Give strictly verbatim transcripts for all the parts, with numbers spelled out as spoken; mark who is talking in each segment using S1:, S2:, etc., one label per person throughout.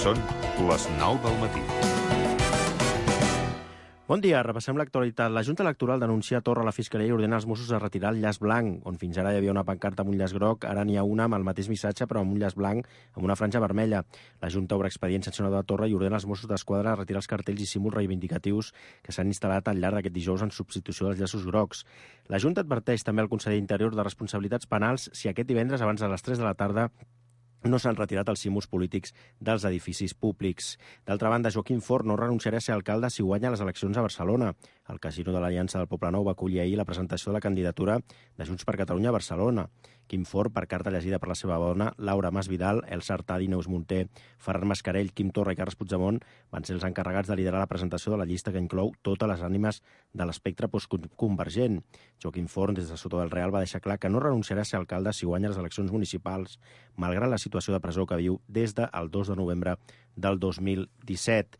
S1: Són les nou del matí.
S2: Bon dia, repassem l'actualitat. La Junta Electoral denuncia a Torra a la Fiscalia i ordena als Mossos a retirar el llaç blanc, on fins ara hi havia una pancarta amb un llaç groc, ara n'hi ha una amb el mateix missatge però amb un llaç blanc amb una franja vermella. La Junta obre expedient sancionador a Torra i ordena als Mossos d'Esquadra a retirar els cartells i símbols reivindicatius que s'han instal·lat al llarg d'aquest dijous en substitució dels llaços grocs. La Junta adverteix també al conseller d'Interior de responsabilitats penals si aquest divendres abans de les tres de la tarda no s'han retirat els símbols polítics dels edificis públics. D'altra banda, Joaquim Forn no renunciarà a ser alcalde si guanya les eleccions a Barcelona. El Casino de l'Aliança del Poblenou va acollir ahir la presentació de la candidatura de Junts per Catalunya a Barcelona. Quim Forn, per carta llegida per la seva dona, Laura Masvidal, Elsa Artadi, Neus Munté, Ferran Mascarell, Quim Torra i Carles Puigdemont van ser els encarregats de liderar la presentació de la llista que inclou totes les ànimes de l'espectre postconvergent. Joaquim Forn, des de Soto del Real, va deixar clar que no renunciarà a ser alcalde si guanya les eleccions municipals, malgrat la situació de presó que viu des del dos de novembre del dos mil disset.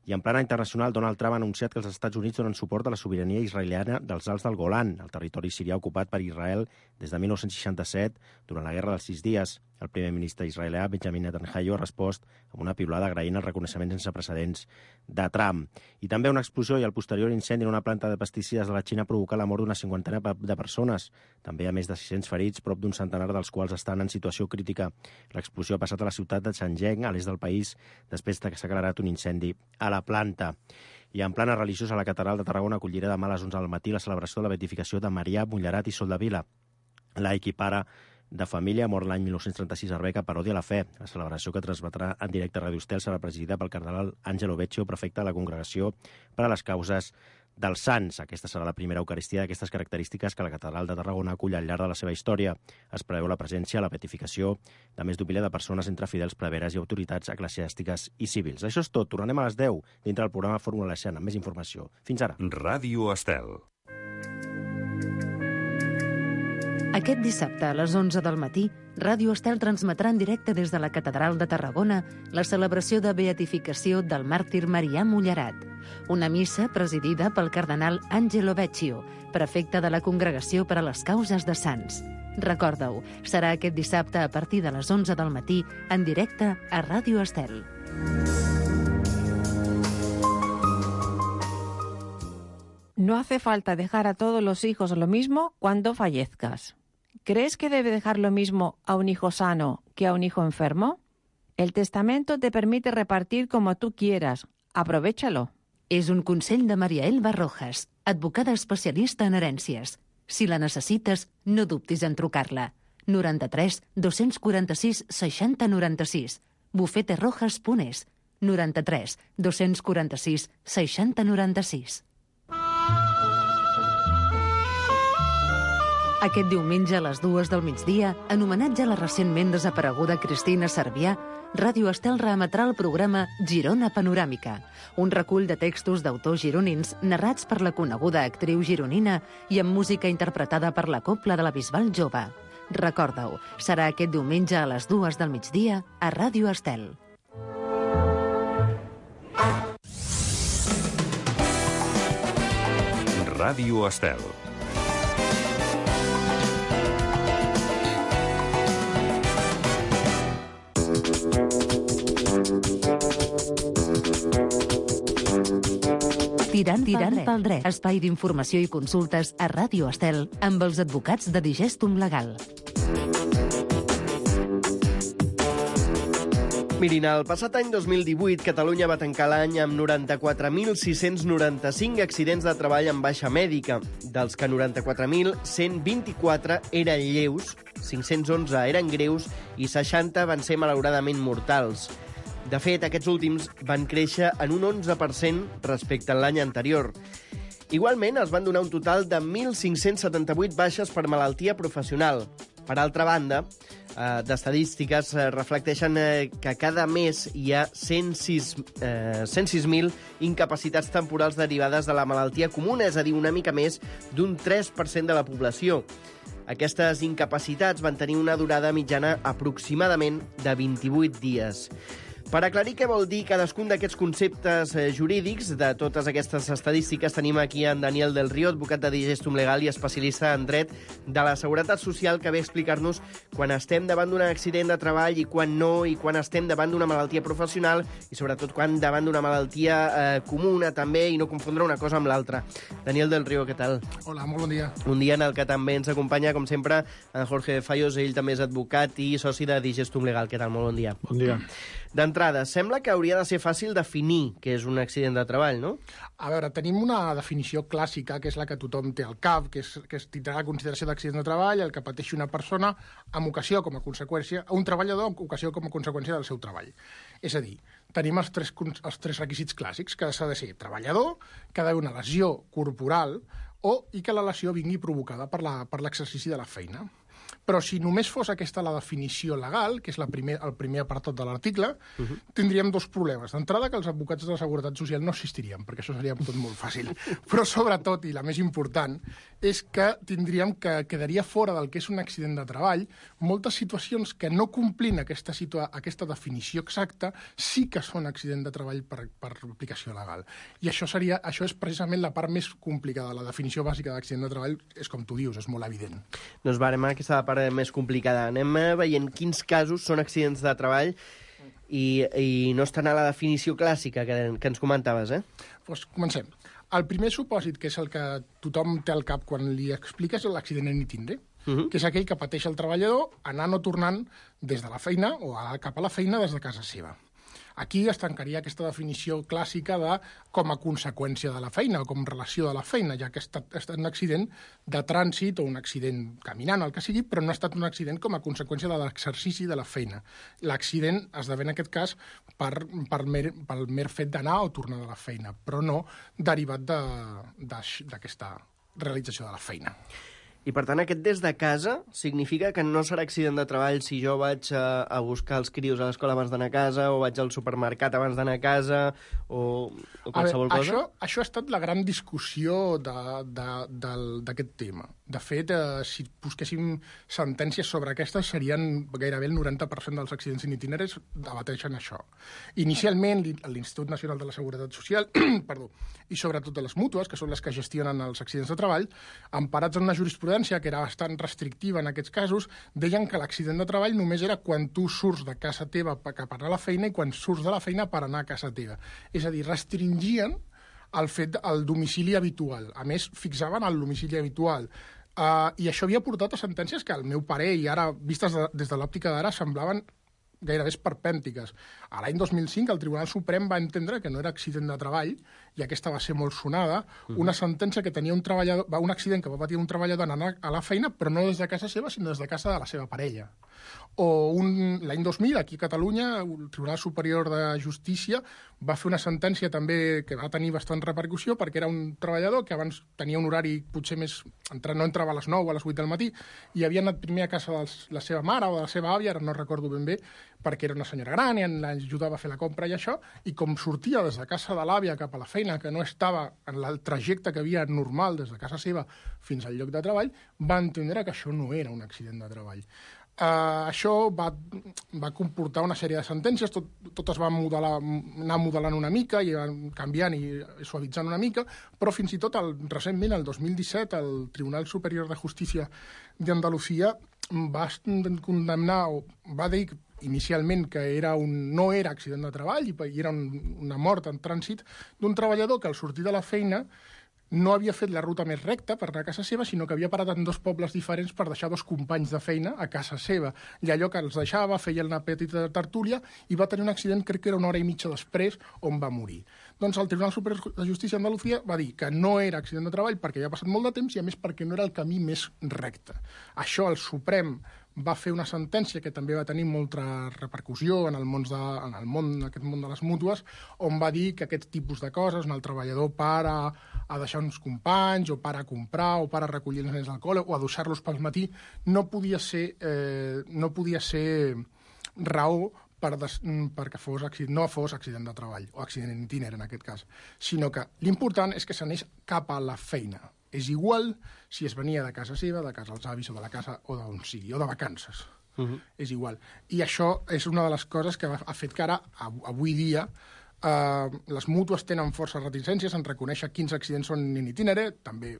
S2: I en plana internacional, Donald Trump ha anunciat que els Estats Units donen suport a la sobirania israeliana dels Alts del Golan, el territori sirià ocupat per Israel des de dinou seixanta-set, durant la Guerra dels Sis Dies. El primer ministre israelià, Benjamin Netanyahu, ha respost amb una piulada agraint el reconeixement sense precedents de Trump. I també una explosió i el posterior incendi en una planta de pesticides de la Xina ha provocat la mort d'una cinquantena de persones. També hi ha més de sis-cents ferits, prop d'un centenar dels quals estan en situació crítica. L'explosió ha passat a la ciutat de Shenzhen, a l'est del país, després que s'ha accelerat un incendi a la planta. I en plana religiosa, la Catedral de Tarragona acollirà demà a les onze del matí la celebració de la beatificació de Marià Mullerat i Soldevila. Laic i pare de família, mort l'any dinou trenta-sis a Arbeca per odi a la fe. La celebració, que transmetrà en directe a Radio Estel, serà presidida pel cardenal Angelo Beccio, prefecte de la Congregació per a les Causes dels Sants. Aquesta serà la primera eucaristia d'aquestes característiques que la Catedral de Tarragona acull al llarg de la seva història. Es preveu la presència a la beatificació de més d'un miler de persones entre fidels, preveres i autoritats eclesiàstiques i civils. Això és tot. Tornem a les deu dintre del programa Fórmula Leixant amb més informació. Fins ara.
S1: Ràdio Estel.
S3: Aquest dissabte a les onze del matí, Ràdio Estel transmetrà en directe des de la Catedral de Tarragona la celebració de beatificació del màrtir Marià Mullerat, una missa presidida pel cardenal Angelo Beccio, prefecte de la Congregació per a les Causes de Sants. Recorda-ho, serà aquest dissabte a partir de les onze del matí en directe a Ràdio Estel.
S4: No hace falta dejar a todos los hijos lo mismo cuando fallezcas. ¿Crees que debe dejar lo mismo a un hijo sano que a un hijo enfermo? El testamento te permite repartir como tú quieras. Aprovéchalo.
S3: És un consell de Maria Elba Rojas, advocada especialista en herències. Si la necessites, no dubtis en trucar-la. noranta-tres dos-cents quaranta-sis seixanta noranta-sis. bufete rojas punt es. noranta-tres dos-cents quaranta-sis seixanta noranta-sis. Aquest diumenge a les dues del migdia, en homenatge a la recentment desapareguda Cristina Cervià, Ràdio Estel reemetrà el programa Girona Panoràmica, un recull de textos d'autors gironins narrats per la coneguda actriu gironina i amb música interpretada per la Cobla de la Bisbal Jove. Recorda-ho, serà aquest diumenge a les dues del migdia a Ràdio Estel.
S1: Ràdio Estel.
S3: Tirant, Tirant pel dret. Espai d'informació i consultes a Ràdio Estel amb els advocats de Digestum Legal.
S5: Mirin, el passat any dos mil divuit, Catalunya va tancar l'any amb noranta-quatre mil sis-cents noranta-cinc accidents de treball amb baixa mèdica, dels que noranta-quatre mil cent vint-i-quatre eren lleus, cinc-cents onze eren greus i seixanta van ser malauradament mortals. De fet, aquests últims van créixer en un onze per cent respecte a l'any anterior. Igualment, es van donar un total de mil cinc-cents setanta-vuit baixes per malaltia professional. Per altra banda, eh, d'estadístiques eh, reflecteixen eh, que cada mes hi ha cent sis mil incapacitats temporals derivades de la malaltia comuna, és a dir, una mica més d'un tres per cent de la població. Aquestes incapacitats van tenir una durada mitjana aproximadament de vint-i-vuit dies. Per aclarir què vol dir cadascun d'aquests conceptes eh, jurídics, de totes aquestes estadístiques, tenim aquí en Daniel del Río, advocat de Digestum Legal i especialista en dret de la Seguretat Social, que ve a explicar-nos quan estem davant d'un accident de treball i quan no, i quan estem davant d'una malaltia professional i sobretot quan davant d'una malaltia eh, comuna també, i no confondre una cosa amb l'altra. Daniel del Río, què tal?
S6: Hola, molt bon dia.
S5: Un dia en el que també ens acompanya, com sempre, en Jorge Fallos, ell també és advocat i soci de Digestum Legal. Què tal? Molt bon dia.
S6: Bon dia.
S5: D'entrada, sembla que hauria de ser fàcil definir què és un accident de treball, no?
S6: A veure, tenim una definició clàssica, que és la que tothom té al cap, que és, que es tindrà la consideració d'accident de treball, el que pateixi una persona amb ocasió com a conseqüència, un treballador amb ocasió com a conseqüència del seu treball. És a dir, tenim els tres, els tres requisits clàssics, que s'ha de ser treballador, que ha d'haver una lesió corporal o i que la lesió vingui provocada per la, per l'exercici de la feina. Però si només fos aquesta la definició legal, que és la primer, el primer apartat de l'article, uh -huh. tindríem dos problemes. D'entrada, que els advocats de la Seguretat Social no existirien, perquè això seria tot molt fàcil. Però sobretot, i la més important, és que tindríem que quedaria fora del que és un accident de treball moltes situacions que no complint aquesta, situa aquesta definició exacta sí que són accident de treball per, per aplicació legal. I això, seria, això és precisament la part més complicada. La definició bàsica d'accident de treball és com tu dius, és molt evident.
S5: Doncs varem aquesta la part més complicada. Anem veient quins casos són accidents de treball i, i no estan a la definició clàssica que, que ens comentaves, eh?
S6: Doncs comencem. El primer supòsit, que és el que tothom té al cap quan li expliques, és l'accident en itinerari, uh -huh. que és aquell que pateix el treballador anant o tornant des de la feina o cap a la feina des de casa seva. Aquí es tancaria aquesta definició clàssica de com a conseqüència de la feina o com relació de la feina, ja que ha estat, ha estat un accident de trànsit o un accident caminant, el que sigui, però no ha estat un accident com a conseqüència de l'exercici de la feina. L'accident esdevé en aquest cas per, per mer, pel mer fet d'anar o tornar de la feina, però no derivat d'aquesta realització de la feina.
S5: I, per tant, aquest des de casa significa que no serà accident de treball si jo vaig a, a buscar els crios a l'escola abans d'anar a casa, o vaig al supermercat abans d'anar a casa, o, o qualsevol
S6: veure,
S5: cosa?
S6: Això, això ha estat la gran discussió d'aquest tema. De fet, eh, si busquéssim sentències sobre aquestes, serien gairebé el noranta per cent dels accidents en itineraris debateixen això. Inicialment, l'Institut Nacional de la Seguretat Social perdó, i sobretot de les mútues, que són les que gestionen els accidents de treball, emparats en una jurisprudència que era bastant restrictiva en aquests casos, deien que l'accident de treball només era quan tu surts de casa teva cap a anar a la feina i quan surts de la feina per anar a casa teva. És a dir, restringien el fet del domicili habitual. A més, fixaven el domicili habitual. Uh, I això havia portat a sentències que, al meu parer, i ara vistes de, des de l'òptica d'ara, semblaven gairebé esperpèntiques. A l'any dos mil cinc el Tribunal Suprem va entendre que no era accident de treball, i aquesta va ser molt sonada, una sentència que tenia un treballador, un accident que va patir un treballador en anar a la feina, però no des de casa seva, sinó des de casa de la seva parella. O l'any dos mil, aquí a Catalunya, el Tribunal Superior de Justícia va fer una sentència també que va tenir bastant repercussió, perquè era un treballador que abans tenia un horari potser més... no entrava a les nou o a les vuit del matí, i havia anat primer a casa de la seva mare o de la seva àvia, ara no recordo ben bé, perquè era una senyora gran i l'ajudava a fer la compra i això, i com sortia des de casa de l'àvia cap a la feina, que no estava en el trajecte que havia normal des de casa seva fins al lloc de treball, va entendre que això no era un accident de treball. Uh, això va, va comportar una sèrie de sentències, tot, totes van modelar, anar modelant una mica i van canviant i suavitzant una mica, però fins i tot el, recentment, el dos mil disset, el Tribunal Superior de Justícia d'Andalusia va condemnar, o va dir inicialment que era un, no era accident de treball i era un, una mort en trànsit d'un treballador que al sortir de la feina no havia fet la ruta més recta per anar a casa seva, sinó que havia parat en dos pobles diferents per deixar dos companys de feina a casa seva. I allò que els deixava, feia una petita tertúlia i va tenir un accident, crec que era una hora i mitja després, on va morir. Doncs el Tribunal Superior de Justícia d'Andalusia va dir que no era accident de treball perquè havia passat molt de temps i, a més, perquè no era el camí més recte. Això el Suprem va fer una sentència que també va tenir molta repercussió en el món, de, en el món, aquest món de les mútues, on va dir que aquest tipus de coses, on el treballador para a deixar uns companys, o para a comprar, o para a recollir els nens al col·le, o a deixar-los pel matí, no podia ser, eh, no podia ser raó per des, perquè fos accident, no fos accident de treball, o accident en itinerari en aquest cas, sinó que l'important és que s'anés cap a la feina. És igual si es venia de casa seva, de casa dels avis, o de la casa, o d'on sigui, o de vacances. Uh-huh. És igual. I això és una de les coses que ha fet que ara, avui dia, Uh, les mútues tenen força reticències en reconèixer quins accidents són in itinere, també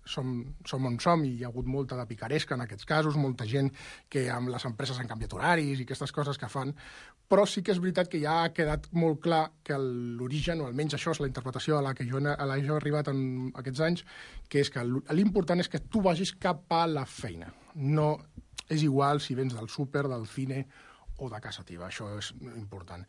S6: som, som on som i hi ha hagut molta de picaresca en aquests casos, molta gent que amb les empreses han canviat horaris i aquestes coses que fan, però sí que és veritat que ja ha quedat molt clar que l'origen, o almenys això és la interpretació a la que jo, a la que jo he arribat en aquests anys, que és que l'important és que tu vagis cap a la feina. No és igual si vens del súper, del cine o de casa teva, això és important.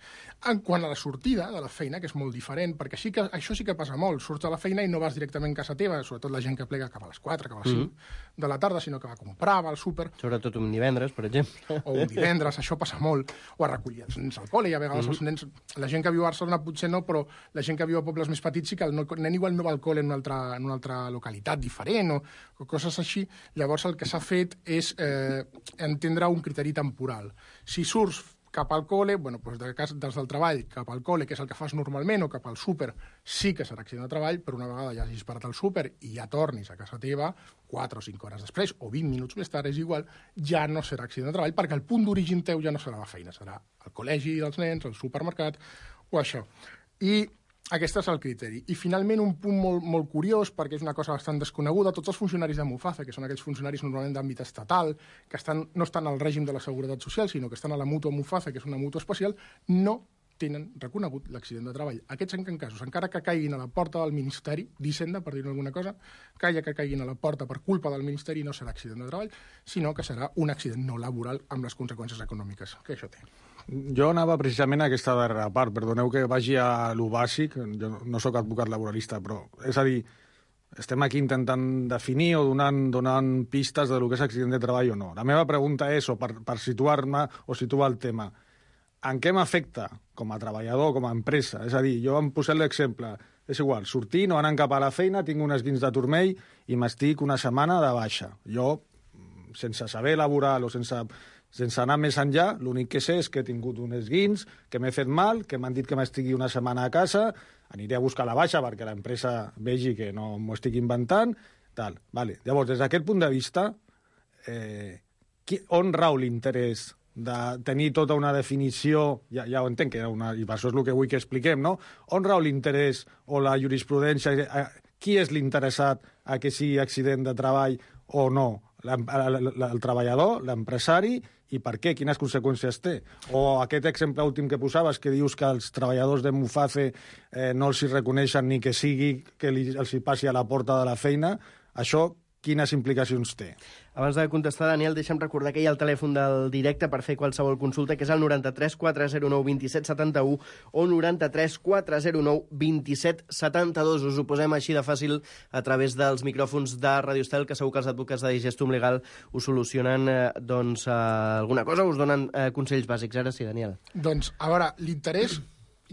S6: En quant a la sortida de la feina, que és molt diferent, perquè sí que, això sí que passa molt, surts de la feina i no vas directament a casa teva, sobretot la gent que plega cap a les quatre, cap a les cinc mm-hmm. de la tarda, sinó que va a comprar, va al súper...
S5: Sobretot un divendres, per exemple.
S6: O un divendres, això passa molt, o a recollir els nens al col·le, i a vegades mm-hmm. els nens... La gent que viu a Barcelona potser no, però la gent que viu a pobles més petits sí que el nen igual no va al col·le en una altra, en una altra localitat diferent, o, o coses així. Llavors el que s'ha fet és eh, entendre un criteri temporal. Si surts cap al col·le, bueno, doncs de cas, des del treball cap al col·le, que és el que fas normalment, o cap al súper, sí que serà accident de treball, però una vegada ja hagis parat al súper i ja tornis a casa teva, quatre o cinc hores després, o vint minuts més tard, és igual, ja no serà accident de treball, perquè el punt d'origen teu ja no serà la feina, serà el col·legi dels nens, el supermercat, o això. I aquest és el criteri. I finalment un punt molt, molt curiós, perquè és una cosa bastant desconeguda, tots els funcionaris de Muface, que són aquells funcionaris normalment d'àmbit estatal, que estan, no estan al règim de la Seguretat Social, sinó que estan a la mútua Muface, que és una mútua especial, no tenen reconegut l'accident de treball. Aquests, en casos, encara que caiguin a la porta del Ministeri d'Hisenda, per dir-ne alguna cosa, calla que caiguin a la porta per culpa del Ministeri, no serà accident de treball, sinó que serà un accident no laboral amb les conseqüències econòmiques que això té.
S7: Jo anava precisament a aquesta darrera part. Perdoneu que vagi a lo bàsic, jo no sóc advocat laboralista, però és a dir, estem aquí intentant definir o donant, donant pistes de lo que és accident de treball o no. La meva pregunta és, o per, per situar-me o situar el tema, en què m'afecta com a treballador, com a empresa? És a dir, jo em posat l'exemple, és igual, sortint o anant cap a la feina, tinc un esguins de turmell i m'estic una setmana de baixa. Jo, sense saber laboral o sense... Sense anar més enllà, l'únic que sé és que he tingut un esguins, que m'he fet mal, que m'han dit que m'estigui una setmana a casa, aniré a buscar la baixa perquè l'empresa vegi que no m'ho estic inventant, tal. Vale. Llavors, des d'aquest punt de vista, eh, qui, on rau l'interès de tenir tota una definició, ja, ja ho entenc, que una, i per això és el que vull que expliquem, no? On rau l'interès o la jurisprudència, eh, qui és l'interessat a que sigui accident de treball o no? El treballador, l'empresari, i per què, quines conseqüències té. O aquest exemple últim que posaves, que dius que els treballadors de Muface eh, no els hi reconeixen ni que sigui que li, els hi passi a la porta de la feina, això quines implicacions té?
S5: Abans de contestar, Daniel, deixa'm recordar que hi ha el telèfon del directe per fer qualsevol consulta, que és el noranta-tres quatre zero nou vint set setanta-u o noranta-tres quatre zero nou vint set setanta-dos. Us ho posem així de fàcil a través dels micròfons de Radio Estel, que segur que els advocats de Digestum Legal us solucionen eh, doncs, eh, alguna cosa, us donen eh, consells bàsics. Ara sí, Daniel.
S6: Doncs, a veure, l'interès,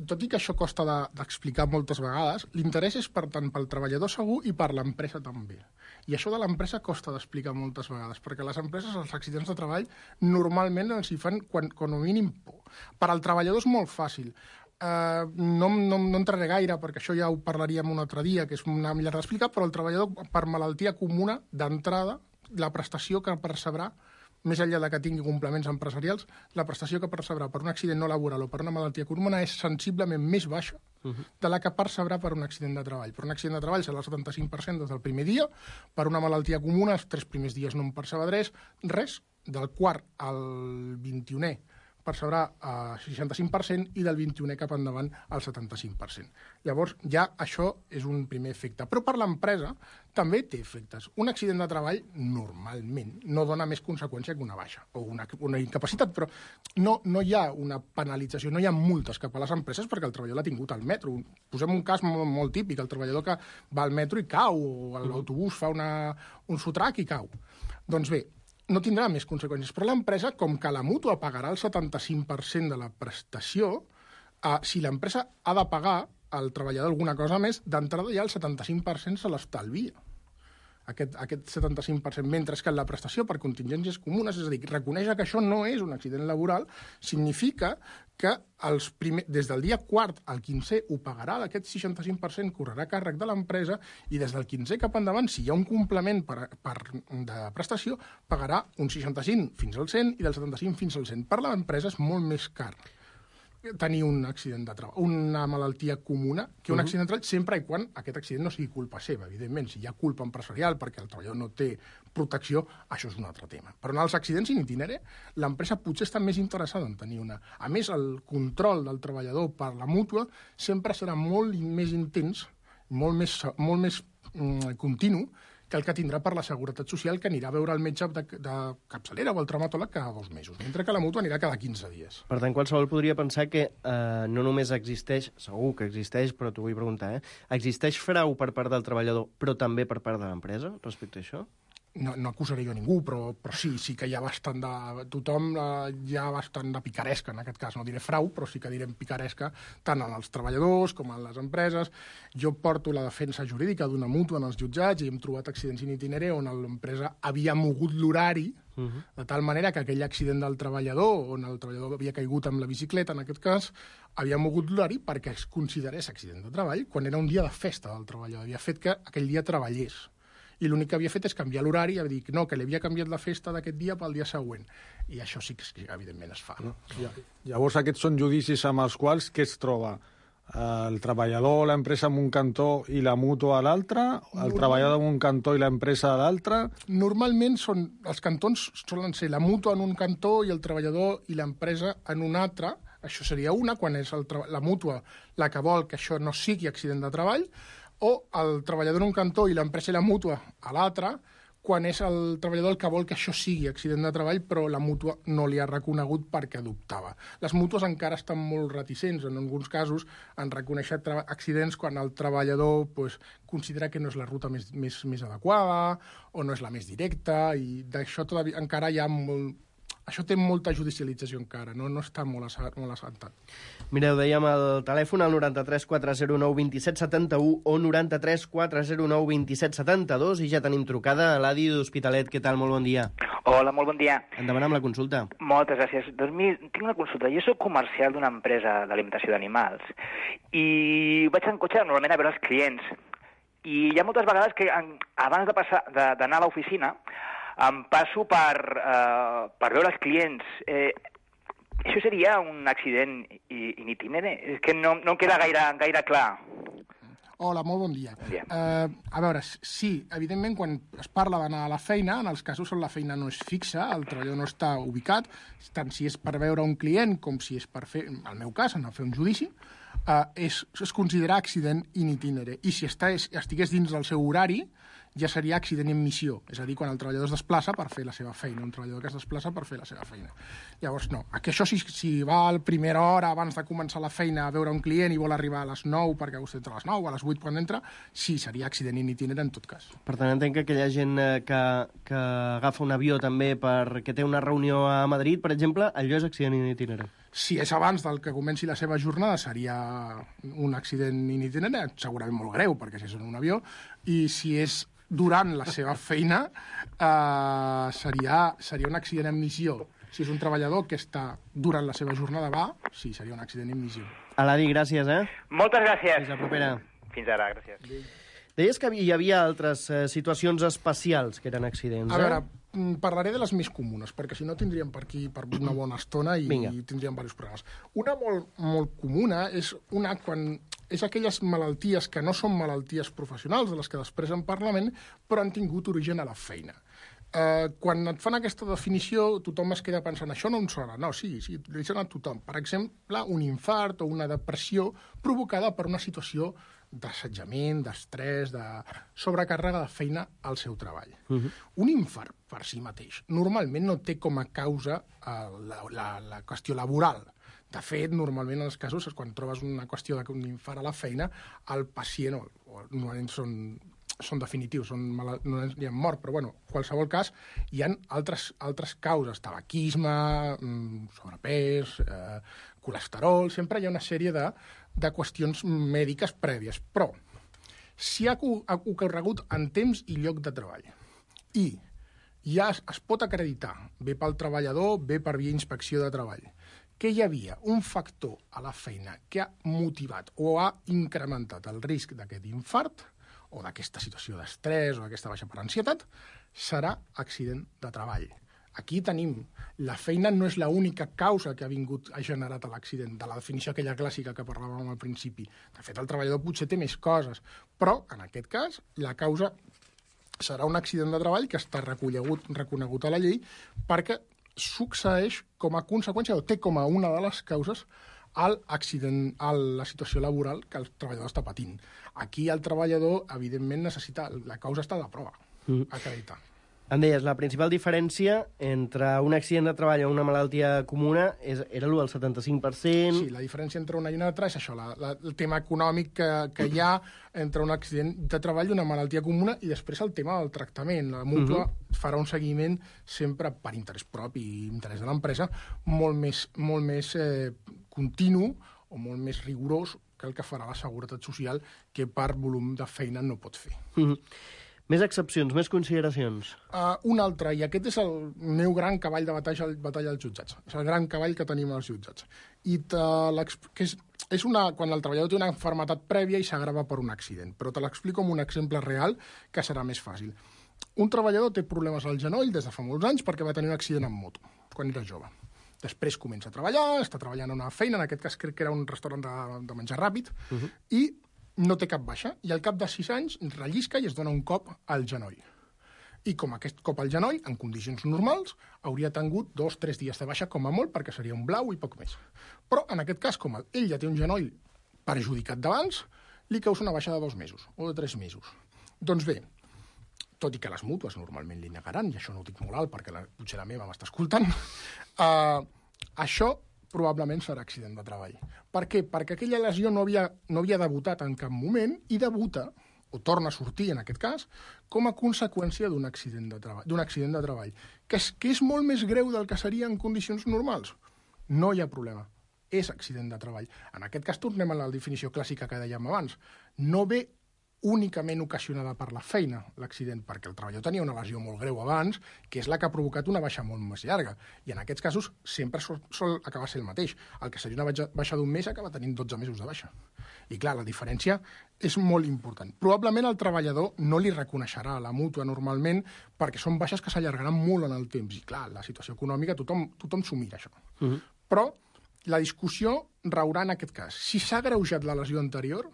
S6: tot i que això costa d'explicar de, moltes vegades, l'interès és per tant pel treballador segur i per l'empresa també. I això de l'empresa costa d'explicar moltes vegades, perquè les empreses, els accidents de treball, normalment els hi fan quan, com a mínim por. Per al treballador és molt fàcil. Uh, no, no, no entraré gaire, perquè això ja ho parlaríem un altre dia, que és una millor d'explicar, però el treballador, per malaltia comuna, d'entrada, la prestació que percebrà, més enllà de que tingui complements empresarials, la prestació que percebrà per un accident no laboral o per una malaltia comuna és sensiblement més baixa uh-huh. de la que percebrà per un accident de treball. Per un accident de treball serà el setanta-cinc per cent des del primer dia, per una malaltia comuna els tres primers dies no en percebrà res, res, del quart al vint-i-unè percebrà el seixanta-cinc per cent i del vint-i-unè cap endavant el setanta-cinc per cent. Llavors, ja això és un primer efecte. Però per l'empresa també té efectes. Un accident de treball, normalment, no dona més conseqüència que una baixa o una, una incapacitat, però no, no hi ha una penalització, no hi ha multes cap a les empreses perquè el treballador l'ha tingut al metro. Posem un cas molt, molt típic, el treballador que va al metro i cau, o l'autobús fa una, un sotrac i cau. Doncs bé, no tindrà més conseqüències. Però l'empresa, com que la mútua pagarà el setanta-cinc per cent de la prestació, eh, si l'empresa ha de pagar al treballador alguna cosa més, d'entrada ja el setanta-cinc per cent se l'estalvia. aquest, aquest setanta-cinc per cent, mentre que en la prestació per contingències comunes, és a dir, reconèixer que això no és un accident laboral, significa que els primer, des del dia quart al quinzè ho pagarà, d'aquest seixanta-cinc per cent correrà a càrrec de l'empresa, i des del quinzè cap endavant, si hi ha un complement per, per, de prestació, pagarà un seixanta-cinc fins al cent i del setanta-cinc fins al cent. Per l'empresa és molt més car tenir un accident de treball, una malaltia comuna, que un uh -huh. accident de treball, sempre i quan aquest accident no sigui culpa seva, evidentment. Si hi ha culpa empresarial perquè el treballador no té protecció, això és un altre tema. Però en els accidents in itinere, l'empresa potser està més interessada en tenir una. A més, el control del treballador per la mútua sempre serà molt més intens, molt més, molt més mm, continu, que el que tindrà per la Seguretat Social, que anirà a veure el metge de, de capçalera o el traumatòleg cada dos mesos, mentre que la mútua anirà cada quinze dies.
S5: Per tant, qualsevol podria pensar que eh, no només existeix, segur que existeix, però t'ho vull preguntar, eh? Existeix frau per part del treballador, però també per part de l'empresa respecte a això?
S6: No, no acusaré jo a ningú, però, però sí, sí que hi ha bastant de... Tothom eh, hi ha bastant de picaresca, en aquest cas. No diré frau, però sí que direm picaresca tant en els treballadors com en les empreses. Jo porto la defensa jurídica d'una mútua en els jutjats i hem trobat accidents in itinere on l'empresa havia mogut l'horari uh -huh. de tal manera que aquell accident del treballador, on el treballador havia caigut amb la bicicleta, en aquest cas, havia mogut l'horari perquè es considerés accident de treball quan era un dia de festa del treballador. Havia fet que aquell dia treballés. I l'únic que havia fet és canviar l'horari, i dir que no, que li havia canviat la festa d'aquest dia pel dia següent. I això sí que, evidentment, es fa. No?
S7: Ja, llavors, aquests són judicis amb els quals què es troba? El treballador, l'empresa en un cantó i la mútua a l'altre? El Normal... treballador en un cantó i l'empresa a l'altre?
S6: Normalment són, els cantons solen ser la mútua en un cantó i el treballador i l'empresa en un altre. Això seria una, quan és el la mútua la que vol que això no sigui accident de treball, o el treballador en un cantó i l'empresa i la mútua a l'altre, quan és el treballador el que vol que això sigui accident de treball, però la mútua no li ha reconegut perquè adoptava. Les mútues encara estan molt reticents, en alguns casos, en reconèixer accidents quan el treballador pues, considera que no és la ruta més, més, més adequada o no és la més directa, i d'això encara hi ha molt... Això té molta judicialització encara, no, no està molt, molt assentat.
S5: Mireu, dèiem el telèfon al noranta-tres quatre zero nou vint set setanta-u o noranta-tres quatre zero nou vint set setanta-dos, i ja tenim trucada a l'Adi d'Hospitalet. Què tal? Molt bon dia.
S8: Hola, molt bon dia.
S5: Endavant amb la consulta.
S8: Moltes gràcies. Doncs mira, tinc una consulta. Jo soc comercial d'una empresa d'alimentació d'animals i vaig en cotxe normalment a veure els clients. I hi ha moltes vegades que abans de passar d'anar a l'oficina em passo per, uh, per veure els clients. Eh, això seria un accident in itinere? És que no, no em queda gaire, gaire clar.
S6: Hola, molt bon dia.
S8: Bon dia.
S6: Uh, a veure, sí, evidentment, quan es parla d'anar a la feina, en els casos on la feina no és fixa, el treballador no està ubicat, tant si és per veure un client com si és per fer, en el meu cas, anar a fer un judici, uh, és, es considera accident in itinere. I si està, estigués dins del seu horari, ja seria accident en missió, és a dir, quan el treballador es desplaça per fer la seva feina, un treballador que es desplaça per fer la seva feina. Llavors, no, que això si, si va a la primera hora abans de començar la feina a veure un client i vol arribar a les nou perquè vostè entra a les nou o a les vuit quan entra, sí, seria accident in itinere en tot cas.
S5: Per tant, entenc que aquella gent que, que agafa un avió també perquè té una reunió a Madrid, per exemple, allò és accident in itinere.
S6: Si és abans del que comenci la seva jornada, seria un accident in itinere, segurament molt greu, perquè si és en un avió, i si és durant la seva feina, eh, seria, seria un accident en missió. Si és un treballador que està durant la seva jornada, va, sí, seria un accident en missió.
S5: Aladi, gràcies, eh?
S8: Moltes gràcies.
S5: Fins la propera.
S8: Fins ara, gràcies.
S5: Deies que hi havia altres eh, situacions especials que eren accidents, eh?
S6: A veure, parlaré de les més comunes, perquè si no tindríem per aquí per una bona estona i, i tindríem diversos programes. Una molt, molt comuna és una quan és aquelles malalties que no són malalties professionals, de les que després en parlem, però han tingut origen a la feina. Eh, quan et fan aquesta definició, tothom es queda pensant, això no em sona. No, sí, sí, li sona a tothom. Per exemple, un infart o una depressió provocada per una situació d'assetjament, d'estrès, de sobrecàrrega de feina al seu treball. Uh -huh. Un infart, per si mateix, normalment no té com a causa eh, la, la, la qüestió laboral. De fet, normalment en els casos, quan trobes una qüestió d'un infart a la feina, el pacient, o, o normalment són, són definitius, són mal, no hi ha mort, però bueno, en qualsevol cas, hi ha altres, altres causes, tabaquisme, sobrepès, eh, colesterol, sempre hi ha una sèrie de, de qüestions mèdiques prèvies. Però, Si ha ocorregut en temps i lloc de treball i ja es, es pot acreditar, bé pel treballador, bé per via inspecció de treball, que hi havia un factor a la feina que ha motivat o ha incrementat el risc d'aquest infart o d'aquesta situació d'estrès o d'aquesta baixa per ansietat, serà accident de treball. Aquí tenim, la feina no és l'única causa que ha vingut a generat l'accident, de la definició aquella clàssica que parlàvem al principi. De fet, el treballador potser té més coses, però, en aquest cas, la causa serà un accident de treball que està reconegut, reconegut a la llei perquè succeeix com a conseqüència o té com a una de les causes al accident, a la situació laboral que el treballador està patint. Aquí el treballador, evidentment, necessita... La causa està a la prova, mm. acreditar.
S5: Em deies, la principal diferència entre un accident de treball o una malaltia comuna és, era l'u del setanta-cinc per cent...
S6: Sí, la diferència entre una i una altra és això, la, la, el tema econòmic que, que hi ha entre un accident de treball i una malaltia comuna i després el tema del tractament. La mútua uh -huh. farà un seguiment sempre per interès propi i interès de l'empresa molt més, molt més eh, continu o molt més rigorós que el que farà la Seguretat Social, que per volum de feina no pot fer.
S5: Uh -huh. Més excepcions, més consideracions.
S6: Uh, un altre, i aquest és el meu gran cavall de batalla, batalla als jutjats. És el gran cavall que tenim als jutjats. I que és, és una, quan el treballador té una malaltia prèvia i s'agrava per un accident. Però te l'explico amb un exemple real que serà més fàcil. Un treballador té problemes al genoll des de fa molts anys perquè va tenir un accident amb moto, quan era jove. Després comença a treballar, està treballant en una feina, en aquest cas crec que era un restaurant de, de menjar ràpid, uh -huh. i no té cap baixa, i al cap de sis anys rellisca i es dona un cop al genoll. I com aquest cop al genoll, en condicions normals, hauria tingut dos o tres dies de baixa com a molt, perquè seria un blau i poc més. Però, en aquest cas, com ell ja té un genoll perjudicat d'abans, li causa una baixa de dos mesos o de tres mesos. Doncs bé, tot i que les mútues normalment li negaran, i això no ho dic molt alt perquè la, potser la meva m'està escoltant, uh, això probablement serà accident de treball. Per què? Perquè aquella lesió no havia, no havia debutat en cap moment i debuta, o torna a sortir en aquest cas, com a conseqüència d'un accident de treball, d'un accident de treball, que és, que és molt més greu del que seria en condicions normals. No hi ha problema. És accident de treball. En aquest cas tornem a la definició clàssica que dèiem abans. No ve únicament ocasionada per la feina, l'accident, perquè el treballador tenia una lesió molt greu abans, que és la que ha provocat una baixa molt més llarga. I en aquests casos sempre sol, sol acabar sent el mateix. El que seria una baixa, baixa d'un mes acaba tenint dotze mesos de baixa. I clar, la diferència és molt important. Probablement el treballador no li reconeixerà a la mútua normalment perquè són baixes que s'allargaran molt en el temps. I clar, la situació econòmica, tothom, tothom s'ho mira, això. Uh -huh. Però la discussió raurà en aquest cas. Si s'ha agreujat la lesió anterior,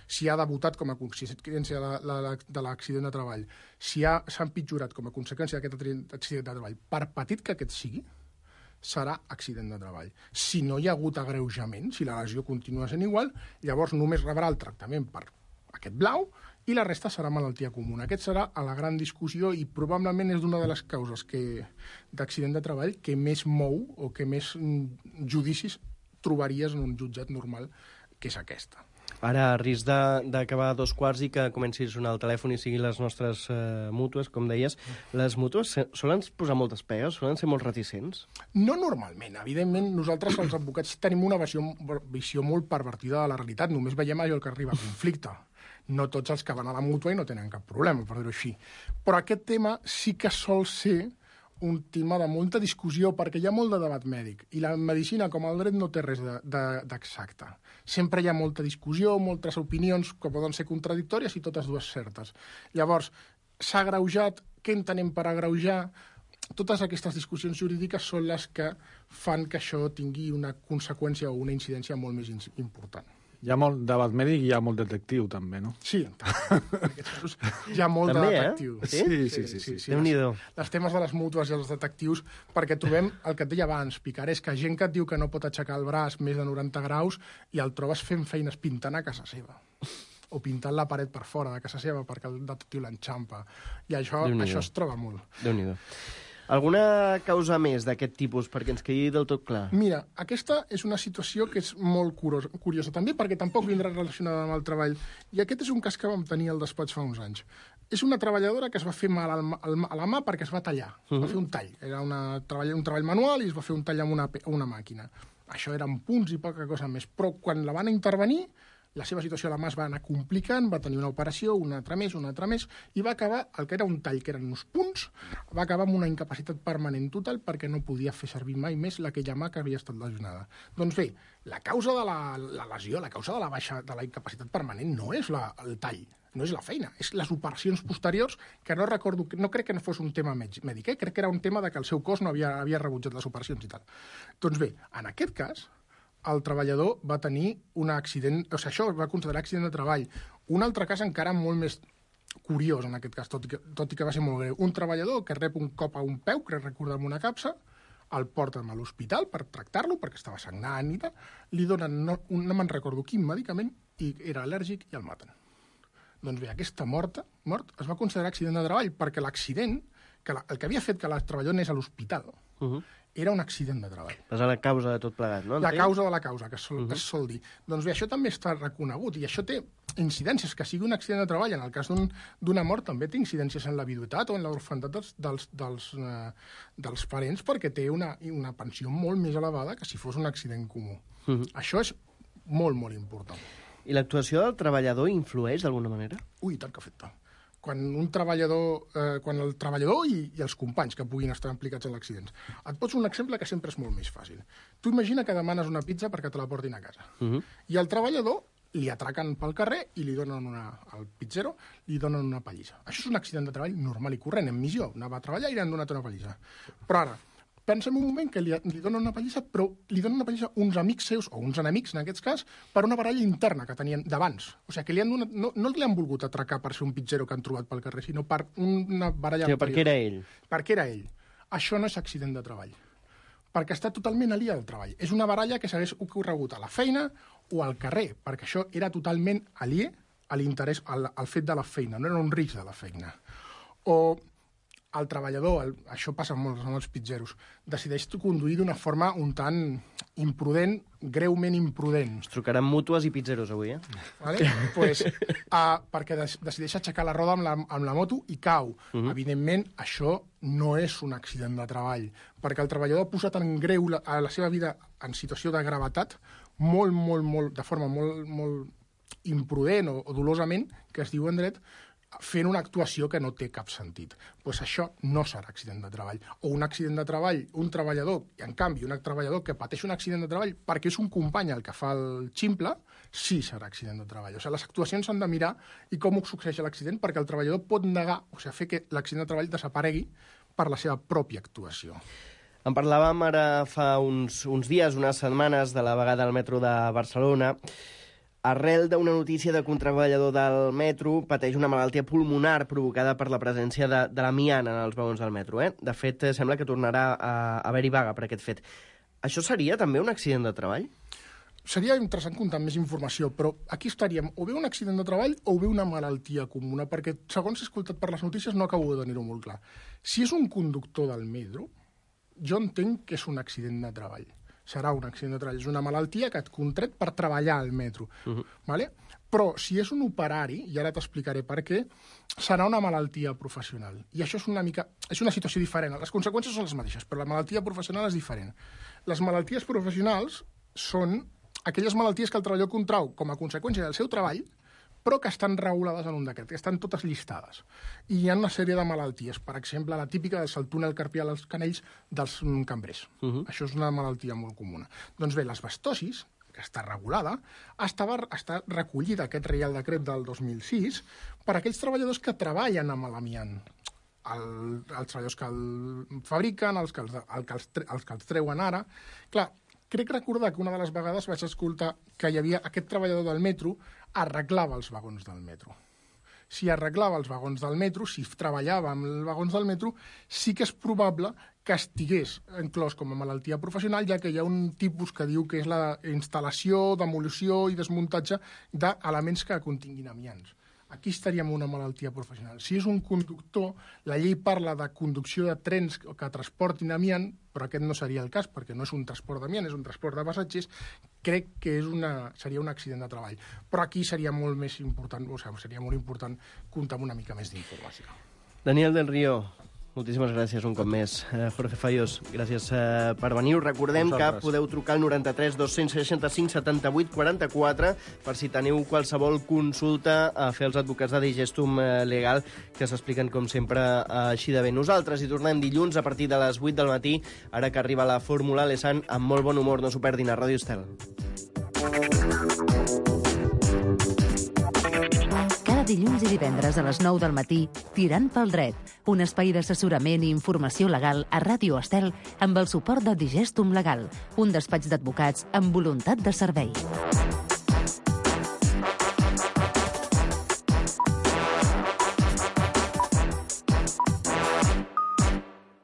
S6: si ha debutat com a conseqüència de l'accident de treball, si s'ha empitjorat com a conseqüència d'aquest accident de treball, per petit que aquest sigui, serà accident de treball. Si no hi ha hagut agreujament, si la lesió continua sent igual, llavors només rebrà el tractament per aquest blau i la resta serà malaltia comuna. Aquest serà a la gran discussió i probablement és una de les causes que d'accident de treball que més mou o que més judicis trobaries en un jutjat normal, que és aquesta.
S5: Ara, a risc d'acabar a dos quarts i que comenci a sonar el telèfon i siguin les nostres uh, mútues, com deies, les mútues solen posar moltes pegues? Solen ser molt reticents?
S6: No normalment. Evidentment, nosaltres, els advocats, tenim una visió, visió molt pervertida de la realitat. Només veiem allò que arriba a conflicte. No tots els que van a la mútua i no tenen cap problema, per dir-ho així. Però aquest tema sí que sol ser un tema de molta discussió, perquè hi ha molt de debat mèdic, i la medicina, com el dret, no té res d'exacte. De, de, Sempre hi ha molta discussió, moltes opinions que poden ser contradictòries i totes dues certes. Llavors, s'ha agreujat, què entenem per agreujar? Totes aquestes discussions jurídiques són les que fan que això tingui una conseqüència o una incidència molt més important.
S7: Hi ha molt debat mèdic i hi ha molt detectiu, també, no?
S6: Sí, en aquests casos hi ha molt
S5: també,
S6: de detectiu.
S5: Eh?
S6: Sí,
S5: sí,
S6: sí. sí, sí, sí.
S5: Déu-n'hi-do.
S6: Els temes de les mútues i els detectius, perquè trobem el que et deia abans, picaresca, gent que et diu que no pot aixecar el braç més de noranta graus i el trobes fent feines pintant a casa seva. O pintant la paret per fora de casa seva perquè el detectiu l'enxampa. I això, això es troba molt.
S5: Déu-n'hi-do. Alguna causa més d'aquest tipus, perquè ens quedi del tot clar?
S6: Mira, aquesta és una situació que és molt curiosa, curiosa també, perquè tampoc vindrà relacionada amb el treball. I aquest és un cas que vam tenir al despatx fa uns anys. És una treballadora que es va fer mal al, al, a la mà perquè es va tallar. Uh-huh. Va fer un tall. Era una, treball, un treball manual i es va fer un tall amb una, una màquina. Això eren punts i poca cosa més. Però quan la van intervenir, la seva situació a la mà es va anar complicant, va tenir una operació, una altra més, una altra més, i va acabar, el que era un tall, que eren uns punts, va acabar amb una incapacitat permanent total perquè no podia fer servir mai més aquella mà que havia estat lesionada. Doncs bé, la causa de la, la lesió, la causa de la baixa de la incapacitat permanent no és la, el tall, no és la feina, és les operacions posteriors, que no recordo, no crec que no fos un tema mèdic, eh? Crec que era un tema de que el seu cos no havia, havia rebutjat les operacions i tal. Doncs bé, en aquest cas, el treballador va tenir un accident, o sigui, això es va considerar accident de treball. Un altre cas encara molt més curiós, en aquest cas, tot i que, tot i que va ser molt greu. Un treballador que rep un cop a un peu, crec recordar amb una capsa, el porten a l'hospital per tractar-lo, perquè estava sagnant i tal, li donen, no, un, no me'n recordo quin medicament, i era al·lèrgic i el maten. Doncs bé, aquesta morta, mort es va considerar accident de treball, perquè l'accident, que la, el que havia fet que el treballador anés a l'hospital, uh-huh. era un accident de treball.
S5: És la causa de tot plegat, no?
S6: La causa de la causa, que es sol, uh-huh. es sol dir. Doncs bé, això també està reconegut, i això té incidències, que sigui un accident de treball. En el cas d'una mort també té incidències en la viduïtat o en l'orfandat dels, dels, dels, uh, dels parents, perquè té una, una pensió molt més elevada que si fos un accident comú. Uh-huh. Això és molt, molt important.
S5: I l'actuació del treballador influeix d'alguna manera?
S6: Ui, tant que afecta. Quan un treballador, eh, quan el treballador i, i els companys que puguin estar implicats en l'accident. Et poso un exemple que sempre és molt més fàcil. Tu imagina que demanes una pizza perquè te la portin a casa. Uh-huh. I el treballador li atraquen pel carrer i li donen una, al pizzero li donen una pallissa. Això és un accident de treball normal i corrent, en missió. Anava a treballar i li han donat una pallissa. Però ara, pensem un moment que li, li donen una pallissa, però li donen una pallissa uns amics seus, o uns enemics, en aquest cas, per una baralla interna que tenien d'abans. O sigui, que li han donat, no, no li han volgut atracar per ser un pizzero que han trobat pel carrer, sinó per una baralla...
S5: Sí, perquè era ell.
S6: Perquè era ell. Això no és accident de treball. Perquè està totalment aliè al treball. És una baralla que s'hagués ocorregut a la feina o al carrer, perquè això era totalment aliè a l'interès, al, al fet de la feina, no era un risc de la feina. O el treballador, el, això passa amb molts, amb els pitzeros, decideix conduir d'una forma un tant imprudent, greument imprudent.
S5: Ens trucaran mútues i pizzeros avui, eh?
S6: Vale? Pues, uh, perquè des, decideix aixecar la roda amb la, amb la moto i cau. Uh-huh. Evidentment, això no és un accident de treball, perquè el treballador ha posat en greu la, a la seva vida en situació de gravetat molt, molt, molt, de forma molt, molt imprudent o, o dolosament, que es diu en dret, fent una actuació que no té cap sentit. Pues això no serà accident de treball. O un accident de treball, un treballador, i en canvi un treballador que pateix un accident de treball perquè és un company el que fa el ximple, sí serà accident de treball. O sigui, les actuacions s'han de mirar i com succeeix l'accident, perquè el treballador pot negar, o sigui, fer que l'accident de treball desaparegui per la seva pròpia actuació.
S5: En parlàvem ara fa uns, uns dies, unes setmanes, de la vegada al metro de Barcelona. Arrel d'una notícia de que un treballador del metro pateix una malaltia pulmonar provocada per la presència de, de l'amiant en els vagons del metro. Eh? De fet, sembla que tornarà a, a haver-hi vaga per aquest fet. Això seria també un accident de treball?
S6: Seria interessant comptar més informació, però aquí estaríem o bé un accident de treball o bé una malaltia comuna, perquè, segons he escoltat per les notícies, no acabo de tenir-ho molt clar. Si és un conductor del metro, jo entenc que és un accident de treball. Serà un accident de treball. És una malaltia que et contret per treballar al metro. Uh-huh. Vale? Però si és un operari, i ara t'explicaré per què, serà una malaltia professional. I això és una mica... És una situació diferent. Les conseqüències són les mateixes, però la malaltia professional és diferent. Les malalties professionals són aquelles malalties que el treballador contrau com a conseqüència del seu treball, però que estan regulades en un decret, que estan totes llistades. I hi ha una sèrie de malalties. Per exemple, la típica és el túnel carpial als canells dels cambrers. Uh-huh. Això és una malaltia molt comuna. Doncs bé, l'asbestosis, que està regulada, estava, està recollida aquest Reial Decret del dos mil sis per a aquells treballadors que treballen amb l'amiant. El, els treballadors que el fabriquen, els que els, el, que els, els que els treuen ara... Clar, crec recordar que una de les vegades vaig escoltar que hi havia aquest treballador del metro arreglava els vagons del metro. Si arreglava els vagons del metro, si treballava amb els vagons del metro, sí que és probable que estigués inclòs com a malaltia professional, ja que hi ha un tipus que diu que és la instal·lació, demolició i desmuntatge d'elements que continguin amiants. Aquí estaríem en una malaltia professional. Si és un conductor, la llei parla de conducció de trens que transportin amiant, però aquest no seria el cas, perquè no és un transport d'amiant, és un transport de passatgers, crec que és una, seria un accident de treball. Però aquí seria molt més important, o sigui, seria molt important comptar amb una mica més d'informació.
S5: Daniel del Río, Moltíssimes gràcies un cop més. Uh, Jorge Fayós, gràcies uh, per venir. Us recordem que podeu trucar al noranta-tres dos-cents seixanta-cinc setanta-vuit quaranta-quatre per si teniu qualsevol consulta a fer els advocats de Digestum Legal, que s'expliquen, com sempre, uh, així de bé. Nosaltres hi tornem dilluns a partir de les vuit del matí, ara que arriba la Fórmula Lesan amb molt bon humor. No s'ho perdin a Ràdio Estel.
S3: Dilluns i divendres a les nou del matí, Tirant pel dret, un espai d'assessorament i informació legal a Ràdio Estel amb el suport de Digestum Legal, un despatx d'advocats amb voluntat de servei.